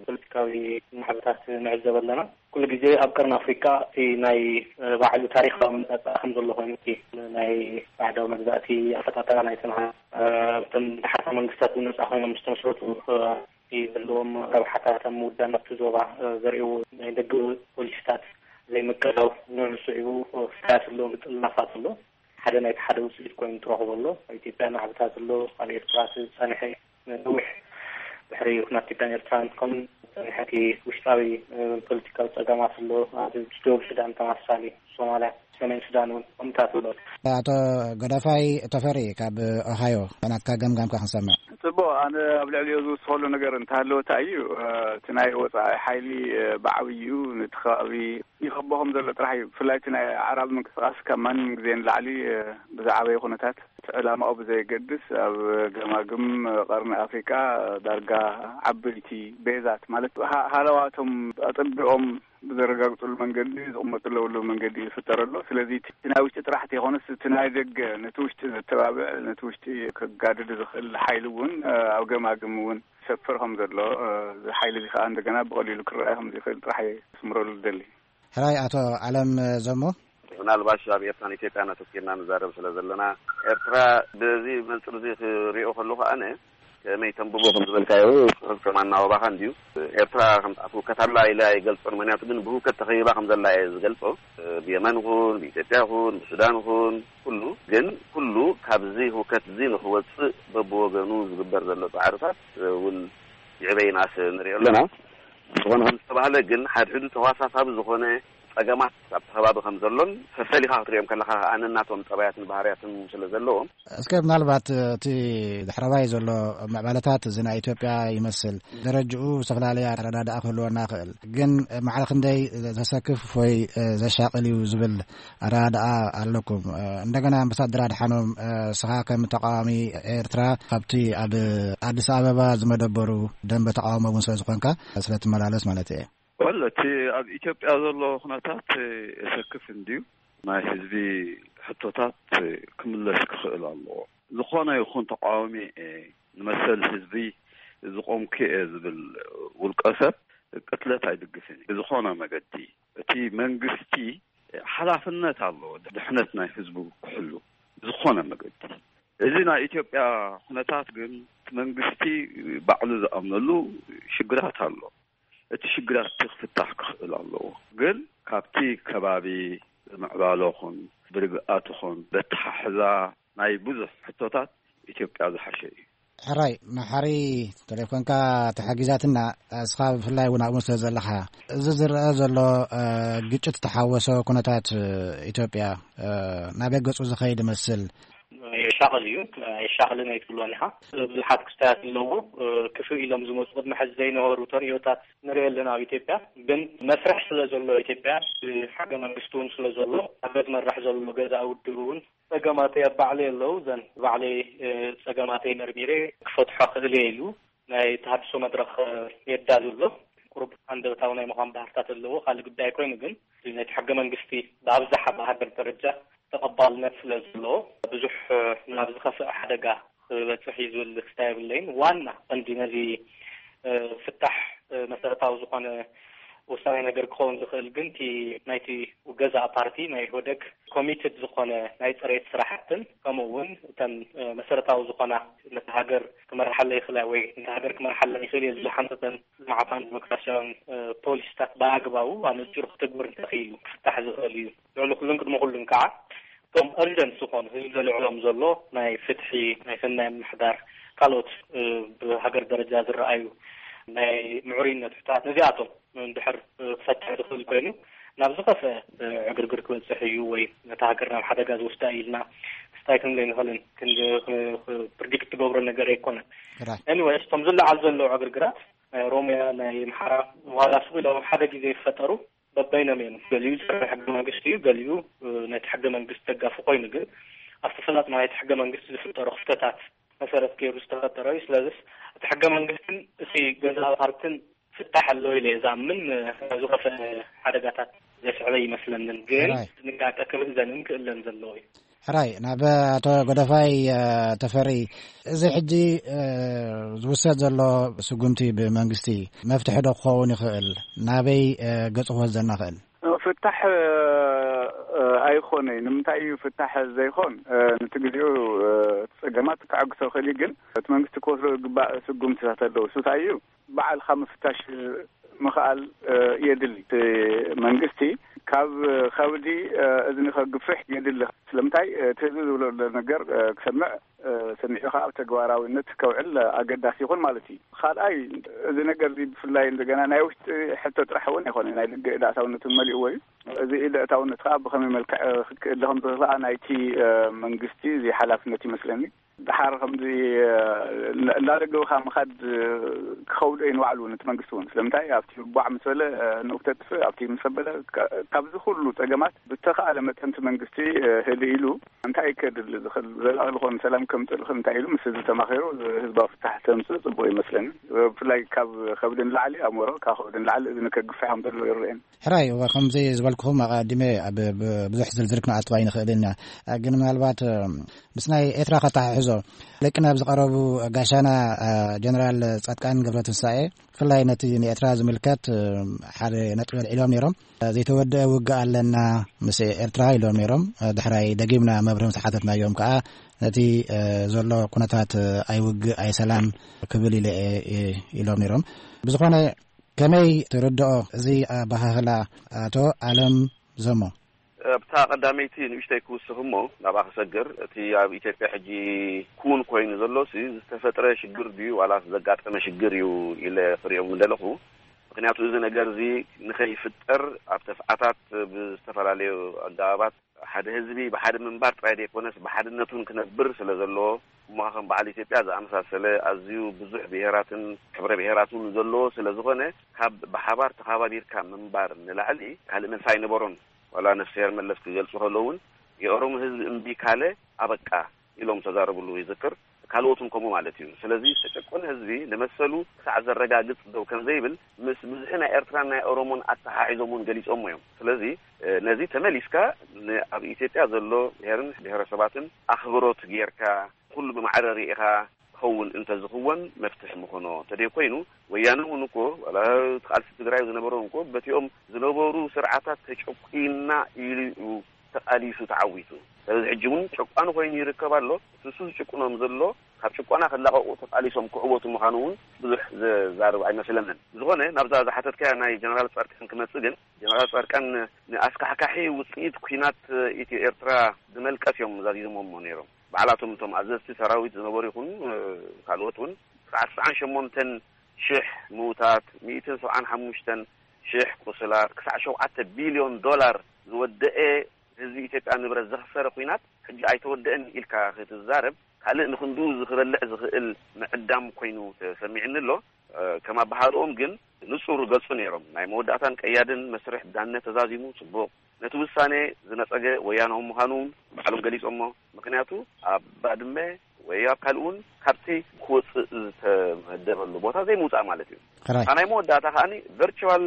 ፖለቲካዊ ናዕብታት ንዕዘብ ኣለና። ኩሉ ግዜ ኣብ ቀርኒ ኣፍሪቃ እቲ ናይ ባዕሉ ታሪኻዊ መጻጻ ከም ዘሎ ኮይኑ፣ እቲ ናይ ባዕዳዊ መግዛእቲ ኣፈጣጠራ ናይ ጽንዓት፣ እቶም ደሓርታ መንግስታት እውን ነጻ ኮይኖም ዝተመስረቱ፣ እቲ ዘለዎም ረብሓታት ኣብ ምውዳን ኣብቲ ዞባ ዘርእይዎ ናይ ደገ ፖሊሲታት ዘይምቅላው፣ ንዕኡ ስዒቡ ፍርያት ዘለዎም ምጥልላፋት ኣሎ። ሓደ ናይቲ ሓደ ውፅኢት ኮይኑ ትረኽቦ ኣሎ። ኣብ ኢትዮጵያ ናዕብታት ኣሎ፣ ኣብ ኤርትራ እቲ ዝጸንሐ ነዊሕ ድሕሪ ኩናት ኢትዮጵያን ኤርትራን ከምኡ ዝጸንሐ እቲ ውሽጣዊ ፖለቲካዊ ጸገማት ኣሎ። ኣብ ደቡብ ሱዳን ተመሳሳሊ፣ ሶማልያ፣ ሰሜን ሱዳን እውን ከምታት ኣሎ። ኣቶ ገደፋይ ተፈሪ ካብ ኦሃዮ፣ ናትካ ገምጋምካ ክንሰምዕ። ጽቡቕ፣ ኣነ ኣብ ልዕሊኡ ዝውስኸሉ ነገር እንተሃለወ እንታይ እዩ፣ እቲ ናይ ወጻኢ ሓይሊ ብዓብይኡ ነቲ ከባቢ ይኸቦ ከም ዘሎ ጥራሕ እዩ። ብፍላይ እቲ ናይ ኣዕራቢ ምንቅስቃስ ካብ ማንም ግዜ ንላዕሊ ብዝዓበየ ኩነታት እቲ ዕላማኡ ብዘየገድስ ኣብ ገማግም ቀርኒ ኣፍሪቃ ዳርጋ ዓበይቲ ቤዛት ማለት ሃ-፣ ሃለዋቶም ኣጸቢቖም ብዘረጋግፅሉ መንገዲ፣ ዝቕመጡ ዘለውሉ መንገዲ ይፍጠር ኣሎ። ስለዚ እቲ ናይ ውሽጢ ጥራሕ ዘይኮነስ፣ እቲ ናይ ደገ፣ ነቲ ውሽጢ ዘተባብዕ፣ ነቲ ውሽጢ ከጋድድ ዝኽእል ሓይሊ እውን፣ እ፣ ኣብ ገማግም እውን ይሰፍር ከም ዘሎ፣ እ፣ እዚ ሓይሊ እዚ ከዓ እንደገና ብቐሊሉ ክረኣይ ከም ዝኽእል ጥራሕ እየ ክስምረሉ ዝደሊ። ሕራይ ኣቶ ዓለም ዘሞ። ምናልባሽ ኣብ ኤርትራን ኢትዮጵያን ኣተኪርና ንዛረብ ስለ ዘለና፣ ኤርትራ በዚ መንጽር እዚ ክሪኦ ከለኹ ኣነ ከመይ ተንብቦ ከም ዝበልካዮ፣ ጽሑፍ ከም ኣናባባኻ እንድዩ። ኤርትራ ከም ኣብ ህውከት ኣላ ኢለ ኣይገልጾን፣ ምኽንያቱ ግን ብህውከት ተኸቢባ ከም ዘላ እየ ዝገልጾ። ብየመን ይኹን፣ ብኢትዮጵያ ይኹን፣ ብሱዳን ይኹን፣ ኩሉ ግን፣ ኩሉ ካብዚ ህውከት እዚ ንኽወጽእ በብወገኑ ዝግበር ዘሎ ጻዕርታት እውን ይዕበ ይንኣስ ንሪኦ ኣለና። ዝኾነ ከም ዝተባህለ ግን፣ ሓድሕዱ ተዋሳሳቢ ዝኾነ ጸገማት ኣብቲ ከባቢ ከም ዘሎን፣ ፈፈሊኻ ክትሪኦም ከለኻ ከኣ ነናቶም ጠባያትን ባህርያትን ስለ ዘለዎም። እስከ ምናልባት እቲ ድሕረባይ ዘሎ ምዕባለታት እዚ ናይ ኢትዮጵያ ይመስል። ደረጅኡ ዝተፈላለየ ኣረዳድኣ ክህልወና ይኽእል። ግን ማዕረ ክንደይ ዘሰክፍ ወይ ዘሻቕል እዩ ዝብል ኣረዳድኣ ኣለኩም? እንደገና ኣምባሳደር ኣድሓኖም፣ እስኻ ከም ተቃዋሚ ኤርትራ ካብቲ ኣብ ኣዲስ ኣበባ ዝመደበሩ ደንበ ተቃውሞ እውን ስለ ዝኾንካ፣ ስለ ትመላለስ ማለት እየ። ወል፣ እቲ ኣብ ኢትዮጵያ ዘሎ ኩነታት የሰክፍ እንድዩ። ናይ ህዝቢ ሕቶታት ክምለስ ክኽእል ኣለዎ። ዝኾነ ይኹን ተቃዋሚ እየ፣ ንመሰል ህዝቢ ዝቆምኩ እየ ዝብል ውልቀ ሰብ ቅትለት ኣይድግፍን እየ ብዝኾነ መገዲ። እቲ መንግስቲ ሓላፍነት ኣለዎ ድሕነት ናይ ህዝቡ ክሕሉ ብዝኾነ መገዲ። እዚ ናይ ኢትዮጵያ ኩነታት ግን፣ እቲ መንግስቲ ባዕሉ ዝኣምነሉ ሽግራት ኣሎ። እቲ ሽግራት እቲ ክፍታሕ ክኽእል ኣለዎ። ግን ካብቲ ከባቢ ብምዕባለ ኹን፣ ብርግኣት ኹን፣ በተሓሕዛ ናይ ብዙሕ ሕቶታት ኢትዮጵያ ዝሓሸ እዩ። ሕራይ፣ መሓሪ፣ ተሌፎንካ ተሓጊዛትና፣ እስኻ ብፍላይ እውን ኣብኡ ስለ ዘለኻ፣ እዚ ዝረአ ዘሎ፣ እ፣ ግጭት ዝተሓወሶ ኩነታት፣ እ፣ ኢትዮጵያ፣ እ፣ ናበይ ገጹ ዝኸይድ ይመስል? የሻቕል እዩ። የሻቕልን ኣይትብሎን ኢኻ። ብዙሓት ክስታያት ኣለዎ። እ፣ ክፍእ ኢሎም ዝመጹ፣ ቅድሚ ሕዚ ዘይነበሩ ተርእዮታት ንርኢ ኣለና ኣብ ኢትዮጵያ። ግን መስርሕ ስለ ዘሎ ኢትዮጵያ፣ ብሕገ መንግስቲ እውን ስለ ዘሎ፣ ኣብ ዝመራሕ ዘሎ ገዛ ውድብ እውን ጸገማተይ ኣብ ባዕለይ ኣለዉ። እዘን ባዕለይ፣ እ፣ ጸገማተይ መርሚረ ክፈትሖ ክእል እየ ኢሉ ናይ ተሃድሶ መድረኽ፣ እ፣ የዳሉ ኣሎ። ቁሩብ ሃንደበታዊ ናይ ምዃን ባህርታት ኣለዎ። ካልእ ጉዳይ ኮይኑ ግን፣ ናይቲ ሕገ መንግስቲ ብኣብዝሓ ብሃገር ደረጃ ተቐባልነት ስለ ዘለዎ፣ ብዙሕ፣ እ፣ ናብ ዝኸፍእ ሓደጋ ክበጽሕ እዩ ዝብል ክስታይ የብለይን። ዋና ቀንዲ ነዚ፣ እ፣ ፍታሕ፣ እ፣ መሰረታዊ ዝኾነ ወሳኒ ነገር ክኸውን ዝኽእል ግን፣ እቲ ናይቲ ገዛእ ፓርቲ፣ ናይ ኢህወደግ፣ ኮሚትድ ዝኾነ ናይ ጽሬት ስራሕትን፣ ከምኡ እውን እተን፣ እ፣ መሰረታዊ ዝኾና ነታ ሃገር ክመርሓለይ ይኽእል ወይ ነታ ሃገር ክመርሓለይ ይኽእል እየ ዝብሉ ሓንተተን ልምዓታውን ዲሞክራሲያውን፣ እ፣ ፖሊሲታት ብኣግባቡ ኣነጺሩ ክትግብር እንተኽኢሉ ክፍታሕ ዝኽእል እዩ። ልዕሊ ኩሉን ቅድሚ ኩሉን ከዓ እቶም እርጀንት ዝኾኑ ህዝቢ ዘልዕሎም ዘሎ ናይ ፍትሒ፣ ናይ ሰናይ ምምሕዳር፣ ካልኦት፣ እ፣ ብሃገር ደረጃ ዝረኣዩ ናይ ምዕሩይነት ሕቶታት፣ ነዚኣቶም እንድሕር፣ እ፣ ክፈትሕ ዝኽእል ኮይኑ፣ ናብ ዝኸፍአ፣ እ፣ ዕግርግር ክበጽሕ እዩ ወይ ነታ ሃገር ናብ ሓደጋ ዝወስዳ እዩ ኢልና ክስታይ ክንብል ኣይንኽእልን። ክንዲ፣ ክ-፣ ክ-፣ ፕሪዲክት ትገብሮ ነገር ኣይኮነን። ራይት። ኤኒዌይስ፣ እቶም ዝለዓል ዘለዉ ዕግርግራት፣ ናይ ኦሮምያ፣ ናይ ኣምሓራ፣ ዋላ ስቕ ኢሎም ሓደ ግዜ ይፈጠሩ፣ በበይኖም እዮም። ገሊኡ ጸረ ሕገ መንግስቲ እዩ፣ ገሊኡ፣ እ፣ ነቲ ሕገ መንግስቲ ደጋፊ ኮይኑ፣ ግን ኣብቲ ፈላጥ ናይቲ ሕገ መንግስቲ ዝፍጠሩ ክፍተታት መሰረት ገይሩ ዝተፈጠረ እዩ። ስለዚስ እቲ ሕገ መንግስትን እቲ ገዛእ ፓርትን ፍታሕ ኣለዎ ኢለ እየ ዝኣምን። እ፣ ዝኸፍአ ሓደጋታት ዘስዕበ ይመስለንን፣ ግን ራይት። ጥንቃቄ ክምእዘንን ክእለን ዘለዎ እዩ። ሕራይ፣ ናብ ኣቶ ጎደፋይ፣ እ፣ ተፈሪ፣ እዚ ሕጂ፣ እ፣ ዝውሰድ ዘሎ ስጉምቲ ብመንግስቲ መፍትሒ ዶ ክኸውን ይኽእል? ናበይ፣ እ፣ ገጹ ክወስደና ይኽእል? ፍታሕ፣ እ፣ ኣይኾነይ። ንምንታይ እዩ ፍታሕ ዘይኾን? እ፣ ነቲ ግዜኡ፣ እ፣ እቲ ጸገማት ከዐግሶ ይኽእል እዩ፣ ግን እቲ መንግስቲ ክወስዶ ዝግባእ ስጉምትታት ኣለዉ። እሱ እንታይ እዩ? ባዕልኻ ምፍታሽ ምኽኣል፣ እ፣ የድሊ። እቲ መንግስቲ ካብ ከብዲ፣ እ፣ እዝኒ ከግፍሕ የድሊ። ስለምንታይ? እቲ ህዝቢ ዝብሎ ዘሎ ነገር፣ እ፣ ክሰምዕ፣ እ፣ ሰሚዑ ከዓ ኣብ ተግባራዊነት ከውዕል ኣገዳሲ ይኹን ማለት እዩ። ካልኣይ፣ እዚ ነገር እዚ ብፍላይ እንደገና ናይ ውሽጢ ሕቶ ጥራሕ እውን ኣይኮነን፣ ናይ ደገ ኢድ ኣእታውነት እውን መሊእዎ እዩ። እዚ ኢድ ኣእታውነት ከዓ ብኸመይ መልክዕ፣ እ፣ ክክእል ከም ዝኽእል ከዓ ናይቲ፣ እ፣ መንግስቲ እዚ ሓላፍነት ይመስለኒ። ድሓር ከምዚ እንዳደገውካ ምኻድ ክኸብዶ እዩ ንባዕሉ ነቲ መንግስቲ እውን። ስለምንታይ ኣብቲ ቧዕ ምስ በለ ንኡፍ ተጥፍእ ኣብቲ ምስ በለ፣ ካብዚ ኩሉ ጸገማት ብተኻእለ መጠንቲ መንግስቲ ህልእ ኢሉ እንታይ ከድሊ ዝኽእል ዘላቒ ዝኾነ ሰላም ከምፅእ ዝኽእል እንታይ ኢሉ ምስ ህዝቢ ተማኺሩ ህዝባዊ ፍታሕ ተምፅእ ፅቡቅ ይመስለኒ። ብፍላይ ካብ ከብዲ ንላዕሊ ኣእምሮ ካብ ከብዲ ንላዕሊ እዝኒ ከግፍሕ ከም ዘለዎ ይረአየኒ። ሕራይ እዋ ከምዚ ዝበልኩኹም ኣቐዲመ ኣብ ብዙሕ ዝርዝር ክንኣትዋ ኣይንኽእልን ኢና። ግን ምናልባት ምስ ናይ ኤርትራ ከታሕሕዞ ለቅነ ኣብ ዝቐረቡ ጋሻና ጀነራል ጻድቃን ገብረትንሳኤ ብፍላይ ነቲ ንኤርትራ ዝምልከት ሓደ ነጥቢ ኣልዒሎም ነይሮም። ዘይተወደአ ውግእ ኣለና ምስ ኤርትራ ኢሎም ነይሮም። ድሕራይ ደጊምና መብርሂ ምስ ሓተትናዮም ከዓ ነቲ ዘሎ ኩነታት ኣይውግእ ኣይሰላም ክብል ኢለ ኢሎም ነይሮም። ብዝኾነ ከመይ ትርድኦ እዚ ኣባሃህላ ኣቶ ኣለም ዘሞ? ኣብታ ቀዳመይቲ ንእሽተይ ክውስኽ እሞ ናብኣ ክሰግር፣ እቲ ኣብ ኢትዮጵያ ሕጂ ክውን ኮይኑ ዘሎ ሲ ዝተፈጥረ ሽግር ድዩ ዋላስ ዘጋጠመ ሽግር እዩ ኢለ ክሪኦም ምደለኹ። ምክንያቱ እዚ ነገር እዚ ንኸይፍጠር ኣብ ተፍዓታት ብዝተፈላለዩ ኣገባባት ሓደ ህዝቢ ብሓደ ምንባር ጥራይ ዘይኮነስ ብሓድነቱን ክነብር ስለ ዘለዎ እሞ ከም በዓል ኢትዮጵያ ዝኣመሳሰለ ኣዝዩ ብዙሕ ብሄራትን ሕብረ ብሄራትን ዘለዎ ስለ ዝኾነ ካብ ብሓባር ተኻባቢርካ ምንባር ንላዕሊ ካልእ መልሲ ኣይነበሮን። ዋላ ነፍስሄር መለስ ክገልጹ ከለዉ እውን የኦሮሞ ህዝቢ እምቢ ካለ ኣበቃ ኢሎም ተዛረብሉ ይዝክር። ካልኦትን ከምኡ ማለት እዩ። ስለዚ ዝተጨቆነ ህዝቢ ንመሰሉ ክሳዕ ዘረጋግጽ ደው ከም ዘይብል ምስ ብዝሒ ናይ ኤርትራን ናይ ኦሮሞን ኣተሓሒዞም እውን ገሊጾሞ እዮም። ስለዚ ነዚ ተመሊስካ ኣብ ኢትዮጵያ ዘሎ ብሄርን ብሄረሰባትን ኣኽብሮት ጌርካ ኩሉ ብማዕረ ርኢኻ ክኸውን እንተዝኽወን መፍትሒ ምኾኖ። እንተደይ ኮይኑ ወያነ እውን እኮ ዋላ እቲ ቃልሲ ትግራይ ዝነበረ እውን እኮ በቲኦም ዝነበሩ ስርዓታት ተጨቁና ኢሉ እዩ ተቓሊሱ ተዓዊቱ። ስለዚ ሕጂ እውን ጨቋኒ ኮይኑ ይርከብ ኣሎ። እቲ እሱ ዝጭቁኖም ዘሎ ካብ ጭቆና ክላቐቑ ተቓሊሶም ክዕወቱ ምዃኑ እውን ብዙሕ ዘዛርብ ኣይመስለንን። ዝኾነ ናብዛ ዝሓተትካያ ናይ ጀነራል ጻድቃን ክመጽእ ግን ጀነራል ጻድቃን ንኣስካሕካሒ ውጽኢት ኲናት ኢትዮ ኤርትራ ዝመልቀስ እዮም ዛዚዞሞሞ ነይሮም። ባዕላቶም እቶም ኣዘዝቲ ሰራዊት ዝነበሩ ይኹን ካልኦት እውን ክሳዕ ተስዓን ሸሞንተን ሽሕ ምዉታት፣ ሚእትን ሰብዓን ሓሙሽተን ሽሕ ቁስላት፣ ክሳዕ ሸውዓተ ቢልዮን ዶላር ዝወደአ ህዝቢ ኢትዮጵያ ንብረት ዘኽሰረ ኲናት ሕጂ ኣይተወደአን ኢልካ ክትዛረብ ካልእ ንኽንድኡ ዝኽበልዕ ዝኽእል ምዕዳም ኮይኑ ተሰሚዕኒ ኣሎ። ከም ኣበሃህልኦም ግን ንጹር ገልጹ ነይሮም። ናይ መወዳእታን ቀያድን መስርሕ ዳነ ተዛዚሙ ጽቡቕ። ነቲ ውሳኔ ዝነጸገ ወያናዊ ምዃኑ ባዕሎም ገሊጾሞ። ምኽንያቱ ኣብ ባድመ ወይ ኣብ ካልእ እውን ካብቲ ክወጽእ ዝተመደበሉ ቦታ ዘይምውጻእ ማለት እዩ። ሕራይ። ናይ መወዳእታ ከኣ ቨርቹዋል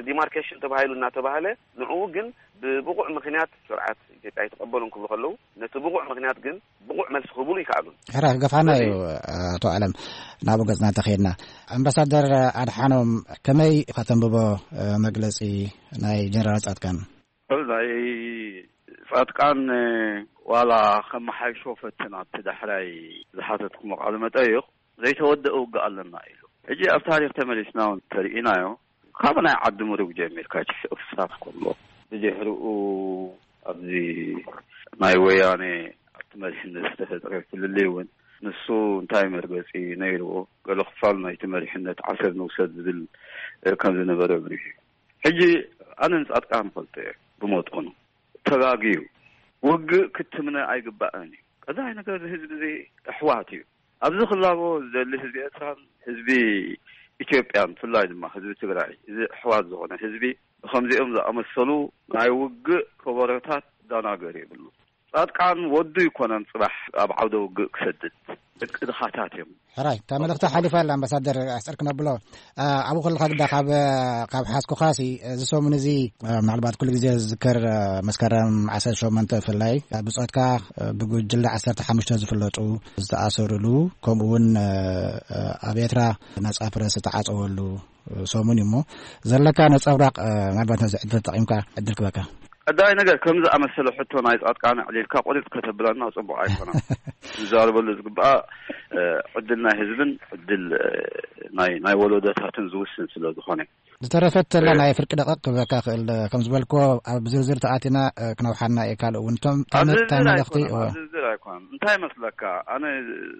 ዲማርኬሽን ተባሂሉ እናተባህለ ንዕኡ ግን ብብቑዕ ምኽንያት ስርዓት ኢትዮጵያ ኣይተቐበሉን ክብሉ ከለዉ ነቲ ብቑዕ ምኽንያት ግን ብቑዕ መልሲ ክህብሉ ይከኣሉን። ሕራይ ክገፍሓና እዩ። ኣቶ ኣለም ናብኡ ገጽና እንተኸይድና ኣምባሳደር ኣድሓኖም ከመይ ከተንብቦ መግለጺ ናይ ጀነራል ጻድቃን? ናይ ጻድቃን ዋላ ከመሓይሾ ፈትን ኣብቲ ዳሕራይ ዝሓተትኩሞ ቃለ መጠይቕ ዘይተወደአ ውግእ ኣለና ኢሉ። ሕጂ ኣብ ታሪኽ ተመሊስና እውን ተርኢናዮ ካብ ናይ ዓዲ ምሩግ ጀሚርካ ጭፍጭፍታት ከሎ ብድሕሪኡ ኣብዚ ናይ ወያነ ኣብቲ መሪሕነት ዝተፈጠረ ፍልልይ እውን ንሱ እንታይ መርገፂ ነይርዎ ገለ ክፋል ናይቲ መሪሕነት ዓሰብ ንውሰድ ዝብል ከም ዝነበረ ብሪሁ። ሕጂ ኣነ ንፃድቃን ፈልጦ እየ ብመጠኑ ተጋግዩ ውግእ ክትምነ ኣይግባእን እዩ። ቀዳይ ነገር ህዝቢ እዚ ኣሕዋት እዩ። ኣብዚ ክላቦ ዝደሊ ህዝቢ ኤርትራን ህዝቢ ኢትዮጵያን ብፍላይ ድማ ህዝቢ ትግራይ እዚ ኣሕዋት ዝኾነ ህዝቢ ብከምዚኦም ዝኣመሰሉ ናይ ውግእ ከበሮታት ዳናገር የብሉ። ጻድቃን ወዱ ይኮነን ጽባሕ ኣብ ዓውደ ውግእ ክሰድድ ደቂ ድኻታት እዮም። ሕራይ እታ መልእኽቲ ሓሊፋ ኣላ ኣምባሳደር ኣሕፅር ክነብሎ ኣብኡ ከለካ ግዳ ካብ ካብ ሓዝኩኻሲ እዚ ሰሙን እዚ ምናልባት ኩሉ ግዜ ዝዝከር መስከረም ዓሰርተ ሸሞንተ ብፍላይ ብፆትካ ብጉጅለ ዓሰርተ ሓሙሽተ ዝፍለጡ ዝተኣሰሩሉ ከምኡ እውን ኣብ ኤርትራ ነፃ ፕረስ ዝተዓፀወሉ ሰሙን እዩ እሞ ዘለካ ነፀብራቕ ምናልባት ነዚ ዕድል ተጠቒምካ ዕድል ክበካ። ቀዳይ ነገር ከም ዝኣመሰለ ሕቶ ናይ ፃድቃን ኣዕሊልካ ቁርጥ ከተብለና ፅቡቅ ኣይኮነን። ዝዛረበሉ ዝግባኣ ዕድል ናይ ህዝብን ዕድል ናይ ናይ ወለዶታትን ዝውስን ስለ ዝኾነ ዝተረፈት ተላ ናይ ፍርቂ ደቂቕ ክብለካ ክእል ከም ዝበልኮ ኣብ ዝርዝር ተኣቲና ክነውሓና እየ ካልእ እውን እቶም ኣብ ዝርዝር ተመልእኽቲ ኣይኮነን እወ ኣብ ዝርዝር ኣይኮነን እንታይ መስለካ ኣነ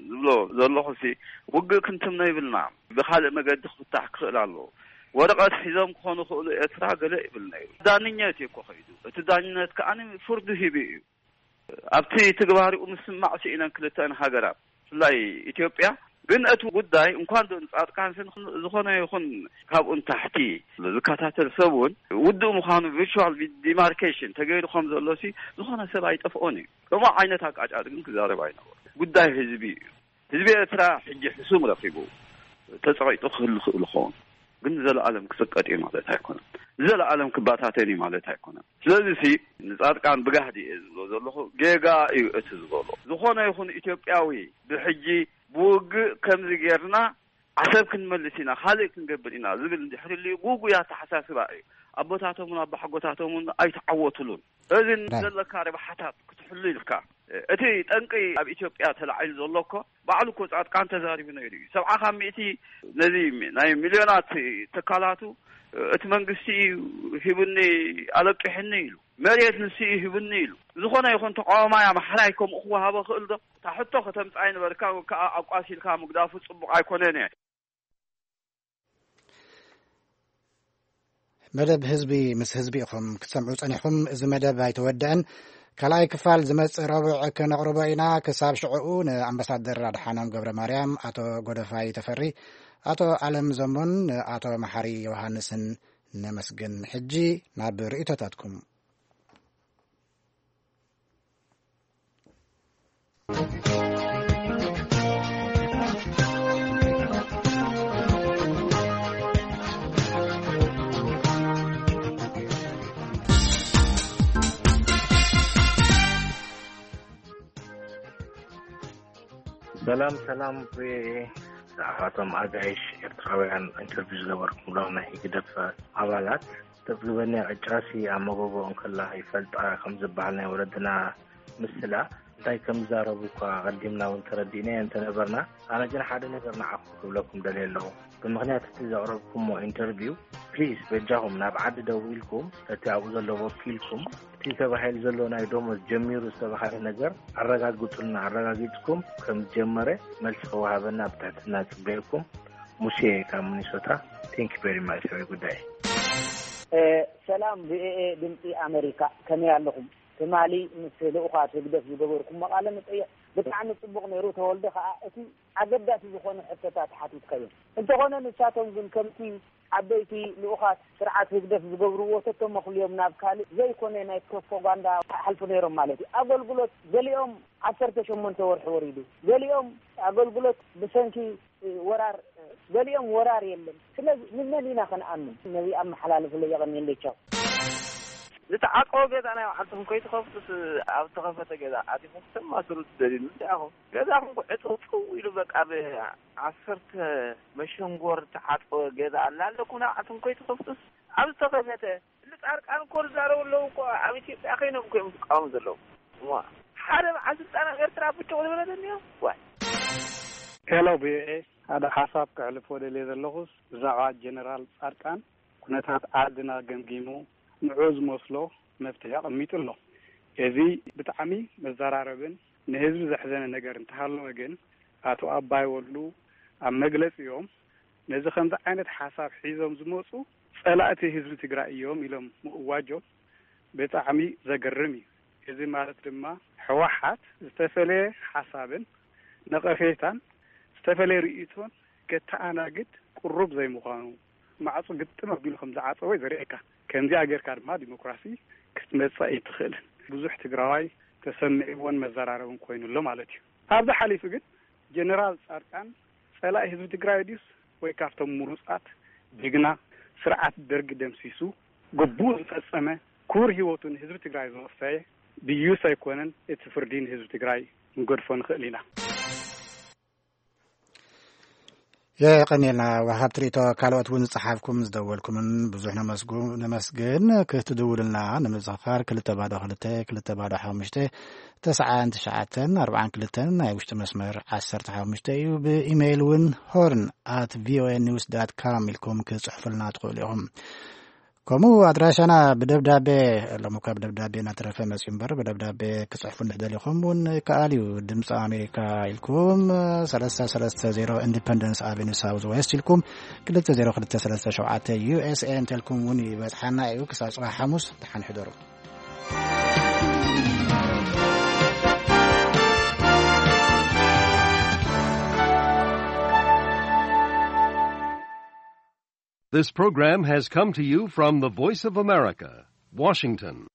ዝብሎ ዘለኹ ሲ ውግእ ክንትምኖ ይብልና ብኻልእ መገዲ ክፍታሕ ክኽእል ኣለዎ። ወረቐት ሒዞም ክኾኑ ክእሉ ኤርትራ ገለ ይብል ነይሩ። ዳንኘት እዩ እኮ ከይዱ። እቲ ዳንነት ከኣ ፍርዱ ሂቡ እዩ። ኣብቲ ትግባሪኡ ምስማዕ ስኢነን ክልተን ሃገራት። ብፍላይ ኢትዮጵያ። ግን እቲ ጉዳይ እንኳን ዶ ንጻድቃን ስን ዝኾነ ይኹን ካብኡ ንታሕቲ ዝከታተል ሰብ እውን ውድእ ምዃኑ፣ ቪርቹዋል ዲማርኬሽን ተገይሩ ከም ዘሎ ሲ ዝኾነ ሰብ ኣይጠፍኦን እዩ። ከምኡ ዓይነት ኣቃጫጭ ግን ክዛረብ ኣይነበሩ። ጉዳይ ህዝቢ እዩ። ህዝቢ ኤርትራ ሕጂ ሕሱም ረኺቡ ተጸቒጡ ክህሉ ክእል ይኸውን። ግን ንዘለኣለም ክጽቀጥ እዩ ማለት ኣይኮነን። ንዘለኣለም ክባታተን እዩ ማለት ኣይኮነን። ስለዚ ሲ ንጻድቃን ብጋህዲ እየ ዝብሎ ዘለኹ፣ ጌጋ እዩ እቲ ዝበሎ። ዝኾነ ይኹን ኢትዮጵያዊ ብሕጂ ብውግእ ከምዚ ጌርና ዓሰብ ክንመልስ ኢና፣ ካልእ ክንገብር ኢና ዝብል እንድሕር ህልዩ፣ ጉጉይ ኣተሓሳስባ እዩ። ኣቦታቶምን ኣባሓጎታቶምን ኣይተዓወቱሉን። እዚ ራይ። ዘለካ ረብሓታት ክትሕሉ ኢልካ፣ እቲ ጠንቂ ኣብ ኢትዮጵያ ተላዒሉ ዘሎ እኮ ባዕሉ እኮ ጻድቃን ተዛሪቡ ነይሩ እዩ። ሰብዓ ካብ ሚእቲ ነዚ ናይ ሚልዮናት ትካላቱ እቲ መንግስቲ እዩ ሂቡኒ፣ ኣለቂሕኒ ኢሉ፣ መሬት ንሱ እዩ ሂቡኒ ኢሉ። ዝኾነ ይኹን ተቃዋማይ ኣምሓራይ ከምኡ ክወሃቦ ክእል ዶ? እታ ሕቶ ከተምጽኣ ይነበርካ፣ ወይ ከዓ ኣቋሲልካ ምግዳፉ ጽቡቕ ኣይኮነን እየ። መደብ ህዝቢ ምስ ህዝቢ ኢኹም ክትሰምዑ ጸኒሕኩም። እዚ መደብ ኣይተወድአን። ካልኣይ ክፋል ዝመጽእ ረቡዕ ክነቕርቦ ኢና። ክሳብ ሽዕኡ ንኣምባሳደር ኣድሓኖም ገብረ ማርያም፣ ኣቶ ጎደፋይ ተፈሪ፣ ኣቶ ኣለም ዘሞን ኣቶ መሓሪ ዮሃንስን ነመስግን። ሕጂ ናብ ርእይቶታትኩም። ሰላም ሰላም፣ ብዛዕባቶም ኣጋይሽ ኤርትራውያን ኢንተርቪው ዝገበርኩምሎም ናይ ህግደፍ ኣባላት፣ ተብግበኒ ዕጫሲ ኣብ መጎጎ እንከላ ይፈልጣ ከም ዝበሃል ናይ ወለድና ምስላ እንታይ ከም ዝዛረቡ እኳ ኣቐዲምና እውን ተረዲእናዮ እንተነበርና፣ ኣነ ግን ሓደ ነገር ንዓኹም ክብለኩም ደልየ ኣለኹ። ብምኽንያት እቲ ዘቕረብኩሞ ኢንተርቪው፣ ፕሊስ በጃኹም ናብ ዓዲ ደዊልኩም ነቲ ኣብኡ ዘሎ ወኪልኩም፣ እቲ ተባሂሉ ዘሎ ናይ ደሞዝ ጀሚሩ ዝተባሃለ ነገር ኣረጋግጹልና። ኣረጋጊጽኩም ከም ዝጀመረ መልሲ ክወሃበና ብትሕትና ጽበየኩም። ሙሴ ካብ ሚኒሶታ። Thank you very much። ሰበይ ጉዳይ። ሰላም ቪኦኤ ድምፂ ኣመሪካ፣ ከመይ ኣለኹም? ትማሊ ምስ ልኡኻት ህግደፍ ዝገበርኩሞ ቃለ መጠይቕ ብጣዕሚ ጽቡቕ ነይሩ። ተወልደ ከኣ እቲ ኣገዳሲ ዝኾነ ሕቶታት ሓቲትካዮም። እንተኾነ ንሳቶም ግን ከምቲ ዓበይቲ ልኡኻት ስርዓት ህግደፍ ዝገብርዎ ተተመኽልዮም ናብ ካልእ ዘይኮነ ናይ ፕሮፓጋንዳ ሓልፉ ነይሮም ማለት እዩ። ኣገልግሎት ገሊኦም ዓሰርተ ሸሞንተ ወርሒ ወሪዱ፣ ገሊኦም ኣገልግሎት ብሰንኪ ወራር፣ ገሊኦም ወራር የለን። ስለዚ ንመን ኢና ክንኣምን? ነዚ ኣመሓላልፍለይ። የቐንየለይ። ቻው። ዝተዓጸወ ገዛ ናይ ባዕልትኹም ከይትኸፍቱስ ኣብ ዝተኸፈተ ገዛ ኣቲኹም ክተማስሩ ትደልዩ ንምንታይ ኢኹም? ገዛኹም እኮ ዕጽው ጽው ኢሉ በቃ ብዓሰርተ መሸንጎር ዝተዓጸወ ገዛ ኣላ ኣለኩም ናይ ባዕልትኹም ከይትኸፍቱስ ኣብ ዝተኸፈተ እሊ ጻድቃን እኮ ዝዛረቡ ኣለዉ እኮ ኣብ ኢትዮጵያ ከይኖም እኮ እዮም ዝቃወሙ ዘለዉ። እሞ ሓደ በዓል ስልጣን ኣብ ኤርትራ ብጭቕ ዝበለ ደንዮ ዋይ። ሄሎ ቪኦኤ ሓደ ሓሳብ ከሕልፎ ደልየ ዘለኹስ ብዛዕባ ጀነራል ጻድቃን ኩነታት ዓድና ገምጊሙ ንዑ ዝመስሎ መፍትሒ ኣቐሚጡ ኣሎ። እዚ ብጣዕሚ መዘራረብን ንህዝቢ ዘሕዘነ ነገር እንተሃለወ ግን ኣቶ ኣባይ ወሉ ኣብ መግለጺኦም ነዚ ከምዚ ዓይነት ሓሳብ ሒዞም ዝመፁ ፀላእቲ ህዝቢ ትግራይ እዮም ኢሎም ምእዋጆም ብጣዕሚ ዘገርም እዩ። እዚ ማለት ድማ ህወሓት ዝተፈለየ ሓሳብን ነቐፌታን ዝተፈለየ ርእይቶን ከተኣናግድ ቅሩብ ዘይምዃኑ ማዕፁ ግጥም ኣቢሉ ከም ዝዓፀወ ዘርእየካ። ከምዚኣ ጌርካ ድማ ዲሞክራሲ ክትመፅእ ኣይትኽእልን። ብዙሕ ትግራዋይ ተሰሚዕዎን መዘራረብን ኮይኑ ኣሎ ማለት እዩ። ካብዚ ሓሊፉ ግን ጀነራል ፃድቃን ፀላኢ ህዝቢ ትግራይ ድዩስ ወይ ካብቶም ምሩፃት ጅግና ስርዓት ደርጊ ደምሲሱ ግቡኡ ዝፈፀመ ክቡር ህይወቱ ንህዝቢ ትግራይ ዘወፈየ ድዩስ ኣይኮነን? እቲ ፍርዲ ንህዝቢ ትግራይ ክንገድፎ ንኽእል ኢና። የቐንየልና ወሃብቲ ርእይቶ። ካልኦት እውን ዝፀሓፍኩም ዝደወልኩምን ብዙሕ ነመስግን። ክትድውሉልና ንምዝኽኻር ክልተ ባዶ ክልተ ክልተ ባዶ ሓሙሽተ ተስዓን ትሽዓተን ኣርባዓን ክልተን ናይ ውሽጢ መስመር ዓሰርተ ሓሙሽተ እዩ። ብኢሜይል እውን ሆርን ኣት ቪኦኤ ኒውስ ዳት ካም ኢልኩም ክፅሕፉልና ትኽእሉ ኢኹም። ከምኡ ኣድራሻና ብደብዳቤ፣ ሎሚ እኳ ብደብዳቤ እናተረፈ መፅዩ እምበር ብደብዳቤ ክፅሕፉ እንድሕር ደሊኹም እውን ይከኣል እዩ። ድምፂ ኣሜሪካ ኢልኩም ሰለስተ ሰለስተ ዜሮ ኢንዲፐንደንስ ኣቨኒ ሳውዝ ዌስት ኢልኩም ክልተ ዜሮ ክልተ ሰለስተ ሸውዓተ ዩ ኤስ ኤ እንተልኩም እውን ይበፅሓና እዩ። ክሳብ ፅባሕ ሓሙስ ደሓን ሕደሩ። This program has come to you from the Voice of America, Washington.